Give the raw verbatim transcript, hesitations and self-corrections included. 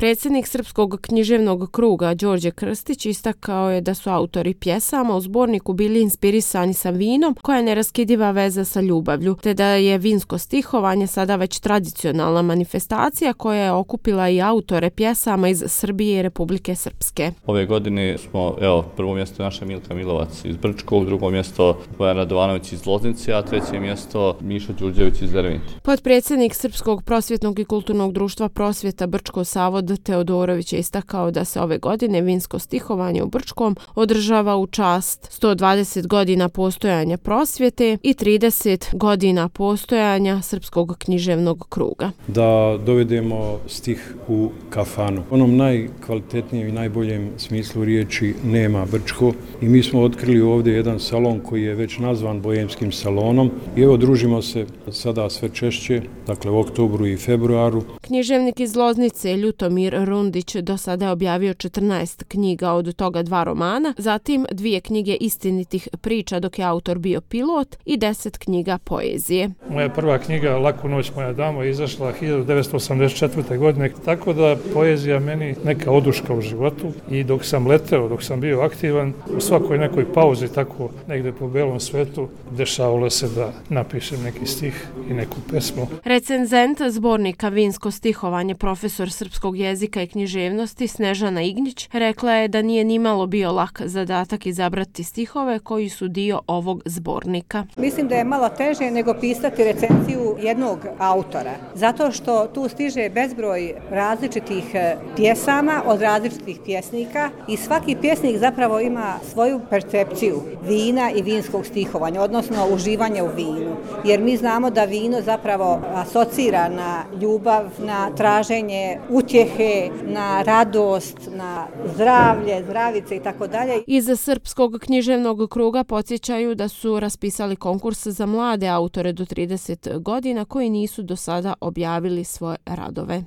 Predsjednik Srpskog književnog kruga Đorđe Krstić istakao je da su autori pjesama u zborniku bili inspirisani sa vinom, koja je neraskidiva veza sa ljubavlju, te da je vinsko stihovanje sada već tradicionalna manifestacija koja je okupila i autore pjesama iz Srbije i Republike Srpske. Ove godine smo, evo, prvo mjesto naša Milka Milovac iz Brčkog, drugo mjesto Bojan Radovanović iz Loznice, a treće mjesto Mišo Đurđević iz Dervente. Potpredsjednik Srpskog prosvjetnog i kulturnog društva Prosvjeta Brčko Savod Teodorović je istakao da se ove godine vinsko stihovanje u Brčkom održava u čast sto dvadeset godina postojanja prosvjete i trideset godina postojanja Srpskog književnog kruga. Da dovedemo stih u kafanu. U onom najkvalitetnijem i najboljem smislu riječi nema Brčko i mi smo otkrili ovdje jedan salon koji je već nazvan Bojemskim salonom i evo družimo se sada sve češće, dakle u oktobru i februaru. Književnik iz Loznice Ljutomir Rundić do sada je objavio četrnaest knjiga, od toga dva romana, zatim dvije knjige istinitih priča dok je autor bio pilot i deset knjiga poezije. Moja prva knjiga Laku noć moja damo je izašla hiljadu devetsto osamdeset četvrte. godine, tako da poezija meni neka oduška u životu i dok sam leteo, dok sam bio aktivan, u svakoj nekoj pauzi tako negde po belom svetu dešavalo se da napišem neki stih i neku pesmu. Recenzent zbornika Vinsko stihovanje, profesor srpskog jezika i književnosti Snežana Ignjić rekla je da nije nimalo bio lak zadatak izabrati stihove koji su dio ovog zbornika. Mislim da je malo teže nego pisati recenziju jednog autora, zato što tu stiže bezbroj različitih pjesama od različitih pjesnika i svaki pjesnik zapravo ima svoju percepciju vina i vinskog stihovanja, odnosno uživanja u vinu. Jer mi znamo da vino zapravo asocira na ljubav, na traženje utjehe, na radost, na zdravlje, zdravice i tako dalje. Iz Srpskog književnog kruga podsjećaju da su raspisali konkurs za mlade autore do trideset godina koji nisu do sada objavili svoje radove.